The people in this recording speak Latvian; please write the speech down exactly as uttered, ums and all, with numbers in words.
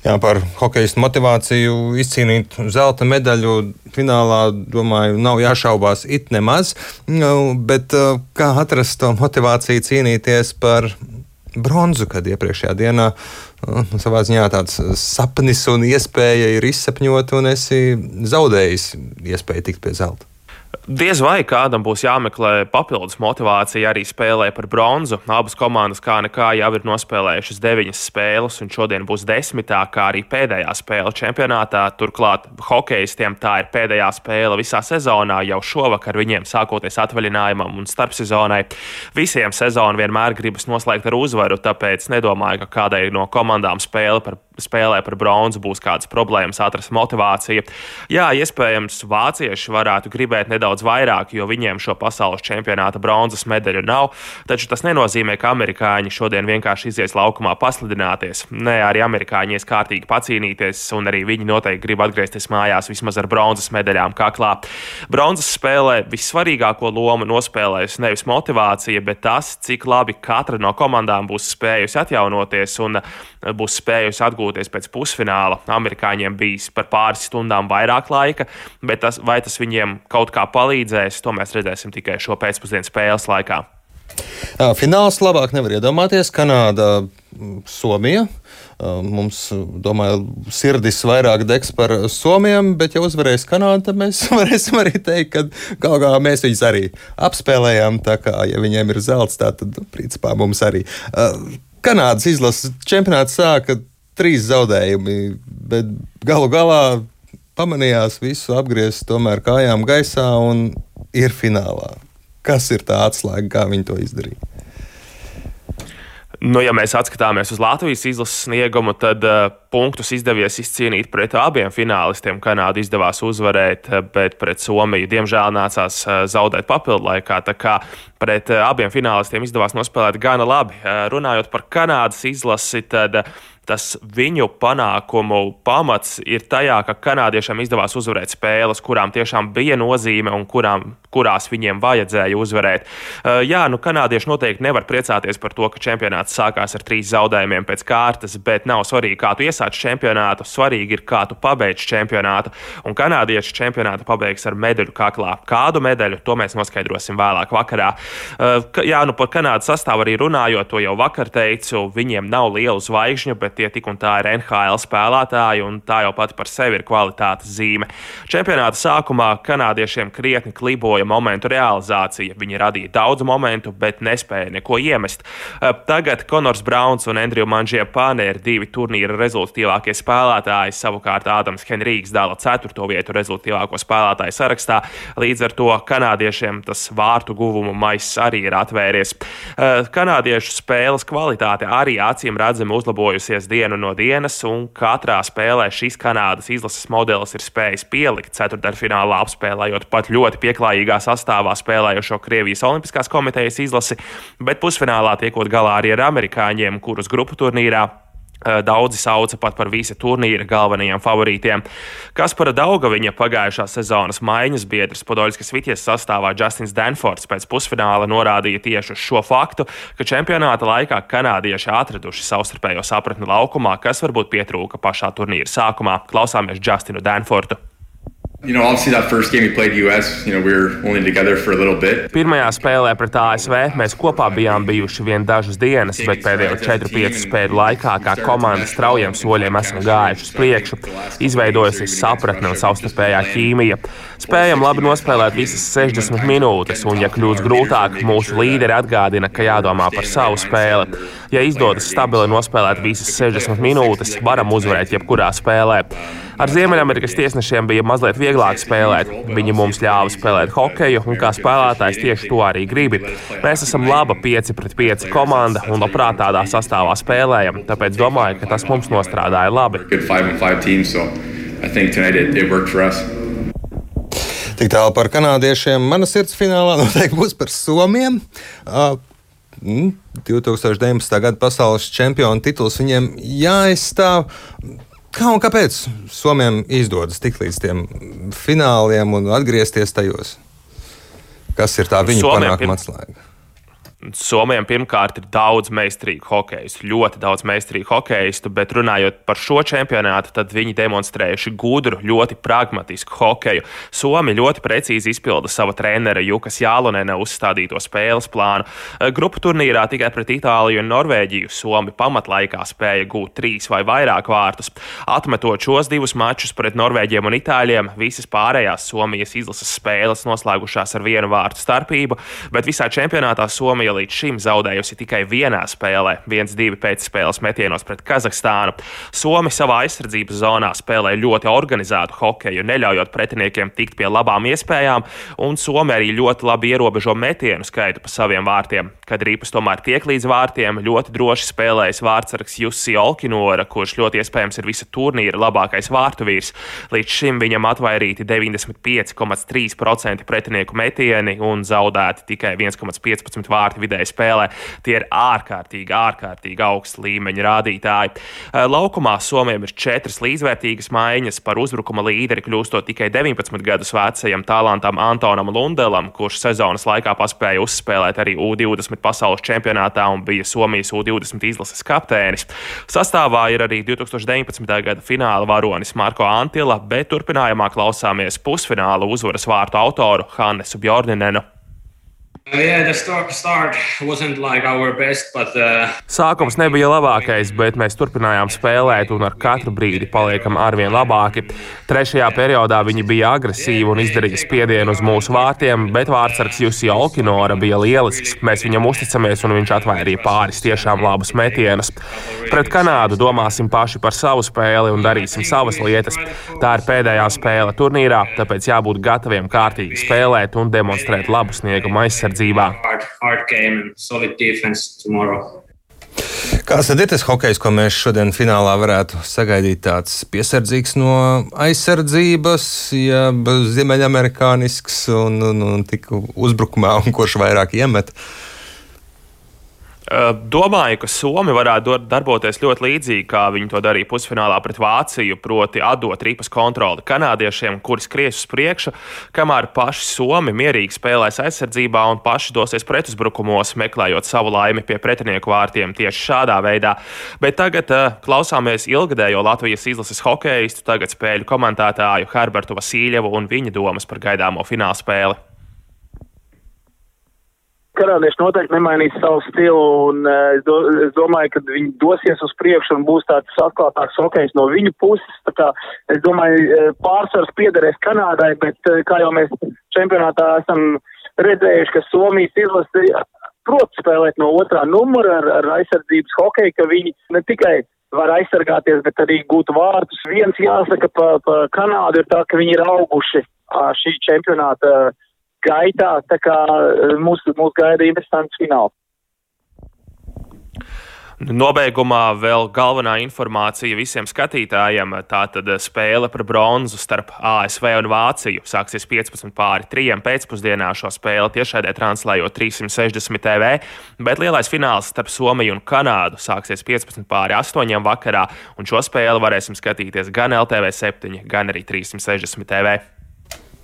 Jā, par hokejistu motivāciju izcīnīt zelta medaļu finālā, domāju, nav jāšaubās it nemaz, bet kā atrast to motivāciju cīnīties par bronzu, kad iepriekšējā dienā nu, savā ziņā tāds sapnis un iespēja ir izsapņot, un esi zaudējis iespēju tikt pie zelta? Diez vai kādam būs jāmeklē papildus motivācija arī spēlē par bronzu. Abas komandas kā nekā jau ir nospēlējušas deviņas spēles, un šodien būs desmitā, kā arī pēdējā spēle čempionātā. Turklāt hokejistiem tā ir pēdējā spēle visā sezonā, jau šovakar viņiem sākoties atvaļinājumam un starpsezonai. Visiem sezonu vienmēr gribas noslēgt ar uzvaru, tāpēc nedomāju, ka kādai no komandām spēle par spēlē par bronzu būs kādas problēmas atrast motivāciju. Jā, iespējams, vācieši varētu gribēt nedaudz vairāk, jo viņiem šo pasaules čempionāta bronzas medaļu nav, taču tas nenozīmē, ka amerikāņi šodien vienkārši izies laukumā paslidināties. Nē, arī amerikāņi ies kārtīgi pacīnīties, un arī viņi noteikti grib atgriezties mājās vismaz ar bronzas medaļām kaklā. Bronzas spēlē vissvarīgāko lomu nospēlējusi nevis motivācija, bet tas, cik labi katra no komandām būs spējusi atjaunoties un būs spējusi atgūt pēc pusfināla. Amerikāņiem bijis par pāris stundām vairāk laika, bet tas, vai tas viņiem kaut kā palīdzēs, to mēs redzēsim tikai šo pēcpusdienas spēles laikā. Jā, fināls labāk nevar iedomāties. Kanāda, Somija. Mums, domāju, sirdis vairāk degs par Somiem, bet ja uzvarēs Kanāda, tad mēs varēsim arī teikt, ka galu galā mēs viņus arī apspēlējām, tā kā, ja viņiem ir zelts, tā tad, principā, mums arī. Kanādas izlases čempionāts sāka trīs zaudējumi, bet galu galā pamanījās visu apgriezt tomēr kājām gaisā un ir finālā. Kas ir tā atslēga, kā viņi to izdarīja? Nu, ja mēs atskatāmies uz Latvijas izlases sniegumu, tad uh, punktus izdevies izcīnīt pret abiem finālistiem. Kanāda izdevās uzvarēt, bet pret Somiju diemžēl nācās uh, zaudēt papildlaikā. Tā kā pret uh, abiem finālistiem izdevās nospēlēt gana labi. Uh, runājot par Kanādas izlasi, tad uh, tas viņu panākumu pamats ir tajā, ka kanādiešiem izdevās uzvarēt spēles, kurām tiešām bija nozīme un kurām, kurās viņiem vajadzēja uzvarēt. Uh, jā, nu kanādieši noteikti nevar priecāties par to, ka čempionāts sākās ar trīs zaudējumiem pēc kārtas, bet nav svarīgi, kā tu iesāc čempionātu, svarīgi ir, kā tu pabeidz čempionātu, un kanādieši čempionātu pabeigs ar medaļu kaklā. Kādu medaļu, to mēs noskaidrosim vēlāk vakarā. Uh, jā, nu par Kanādas sastāvu arī runājot, to jau vakar teicu, viņiem nav lielu zvaigžņu, bet tie tik un tā ir N H L spēlētāji, un tā jau pati par sevi ir kvalitātes zīme. Čempionāta sākumā kanādiešiem krietni kliboja momentu realizācija. Viņi radīja daudz momentu, bet nespēja neko iemest. Tagad Konors Brauns un Andriju Mangiapane ir divi turnīra rezultatīvākie spēlētāji, savukārt Ādams Henrīks dala ceturto vietu rezultatīvāko spēlētāju sarakstā. Līdz ar to kanādiešiem tas vārtu guvumu maiss arī ir atvēries. Kanādiešu spēles kvalitāte arī acīm redzami uzlabojusies dienu no dienas, un katrā spēlē šis Kanādas izlases modelis ir spējis pielikt ceturtdaļfinālā, apspēlējot pat ļoti pieklājīgā sastāvā spēlējošo Krievijas Olimpiskās komitejas izlasi, bet pusfinālā tiekot galā arī ar amerikāņiem, kurus grupu turnīrā daudzi sauca pat par visa turnīra galvenajiem favorītiem. Kaspara Daugaviņa pagājušā sezonas maiņas biedrs Podoļskas Vitjas sastāvā Justins Danfords pēc pusfināla norādīja tieši uz šo faktu, ka čempionāta laikā kanādieši atraduši savstarpējo sapratni laukumā, kas varbūt pietrūka pašā turnīra sākumā. Klausāmies Justinu Danfordu. You know, obviously that first game we played U S, you know, we were only together for a little bit. Pirmajā spēlē pret A S V mēs kopā bijām bijuši vien dažas dienas, bet pēdējo četru piecu spēļu laikā kā komanda straujiem soļiem esam gājuši uz priekšu. Izveidojusies sapratne un savstarpējā ķīmija. Spējam labi nospēlēt visas sešdesmit minūtes, un ja kļūst grūtāk, mūsu līderi atgādina, ka jādomā par savu spēli. Ja izdodas stabili nospēlēt visas sešdesmit minūtes, varam uzvarēt jebkurā spēlē. Ar Ziemeļamerikas tiesnešiem bija mazliet vieglāk spēlēt. Viņi mums ļāva spēlēt hokeju, un kā spēlētājs tieši to arī gribi. Mēs esam laba pieci pret pieci komanda un labprāt tādā sastāvā spēlējam, tāpēc domāju, ka tas mums nostrādāja labi. Tik tālu par kanādiešiem. Mana sirds finālā noteikti būs par Somiem. Uh, divtūkstoš deviņpadsmitā gada pasaules čempionu tituls viņiem jāaizstāv. Kā un kāpēc Somiem izdodas tikt līdz tiem fināliem un atgriezties tajos? Kas ir tā viņu panākuma atslēga? Somijam pirmkārt ir daudz meistarīgu hokeistu, ļoti daudz meistarīgu hokeistu, bet runājot par šo čempionātu, tad viņi demonstrējuši gudru, ļoti pragmatisku hokeju. Somi ļoti precīzi izpilda sava trenera Jukas Jālonena uzstādīto spēles plānu. Grupu turnīrā tikai pret Itāliju un Norvēģiju Somi pamatlaikā spēja gūt trīs vai vairāk vārtus. Atmetot šos divus mačus pret Norvēģiem un Itāļiem, visas pārējās Somijas izlases spēles noslēgušās ar vienu vārtu starpību, bet visā čempionātā Somija līdz šim zaudējusi tikai vienā spēlē, viens divi pēcspēles metienos pret Kazahstānu. Somi savā aizsardzības zonā spēlē ļoti organizētu hokeju, neļaujot pretiniekiem tikt pie labām iespējām, un Somi arī ļoti labi ierobežo metienu skaitu pa saviem vārtiem. Kad ripas tomēr tiek līdz vārtiem, ļoti droši spēlējas vārtsargs Jussi Olkinora, kurš ļoti iespējams ir visa turnīra labākais vārtu vīrs. Līdz šim viņam atvairīti deviņdesmit pieci komats trīs procenti pretinieku metieni un zaudēti tikai viens komats piecpadsmit vārti vidēji spēlē. Tie ir ārkārtīgi, ārkārtīgi augsts līmeņa rādītāji. Laukumā Somijam ir četras līdzvērtīgas maiņas, par uzbrukuma līderi kļūstot tikai deviņpadsmit gadus vecajam talantam Antonam Lundelam, kurš sezonas laikā paspēja uzspēlēt arī U divdesmit pasaules čempionātā un bija Somijas U divdesmit izlases kapteinis. Sastāvā ir arī divtūkstoš deviņpadsmitā gada fināla varonis Marko Antila, bet turpinājumā klausāmies pusfināla uzvaras vārtu autoru Hannesu Bjorninenu. Yeah, the start, start wasn't like our best, but, uh... Sākums nebija labākais, bet mēs turpinājām spēlēt un ar katru brīdi paliekam arvien labāki. Trešajā periodā viņi bija agresīvi un izdarīja spiedienu uz mūsu vārtiem, bet vārtsargs Jussi Olkinora bija lielisks. Mēs viņam uzticamies un viņš atvairīja pāris tiešām labus metienus. Pret Kanādu domāsim paši par savu spēli un darīsim savas lietas. Tā ir pēdējā spēle turnīrā, tāpēc jābūt gataviem kārtīgi spēlēt un demonstrēt labu sniegumu aizsardzību. Hard, hard game and solid defense tomorrow. Kāds tad ir tas hokejs, ko mēs šodien finālā varētu sagaidīt? Tāds piesardzīgs no aizsardzības, ja ziemeļamerikānisks un, un, un tik uzbrukumā, un kurš vairāk iemet? Domāju, ka Somi varētu darboties ļoti līdzīgi, kā viņi to darīja pusfinālā pret Vāciju, proti atdot ripas kontroli kanādiešiem, kuri skries uz priekšu, kamēr paši Somi mierīgi spēlēs aizsardzībā un paši dosies pretuzbrukumos, meklējot savu laimi pie pretinieku vārtiem tieši šādā veidā. Bet tagad uh, klausāmies ilgadējo Latvijas izlases hokeistu, tagad spēļu komentētāju Herbertu Vasīļevu un viņa domas par gaidāmo fināla spēli. Kanādieši noteikti nemainīs savu stilu, un uh, es, do, es domāju, ka viņi dosies uz priekšu un būs tāds atklātāks hokejs no viņu puses. Tā kā, es domāju, pārsvars piederēs Kanādai, bet uh, kā jau mēs čempionātā esam redzējuši, ka Somijas izlase prot spēlēt no otrā numura ar, ar aizsardzības hokeju, ka viņi ne tikai var aizsargāties, bet arī gūt vārtus. Viens jāsaka pa, pa Kanādu ir tā, ka viņi ir auguši uh, šī čempionāta gaitā, tā kā mūs, mūs gaida interesants fināls. Nobeigumā vēl galvenā informācija visiem skatītājiem. Tātad spēle par bronzu starp A S V un Vāciju sāksies piecpadsmit pāri trījiem pēcpusdienā. Šo spēli tiešraidē translējot trīssimt sešdesmit T V, bet lielais fināls starp Somiju un Kanādu sāksies piecpadsmit pāri astoņiem vakarā, un šo spēli varēsim skatīties gan L T V septiņi, gan arī trīssimt sešdesmit T V.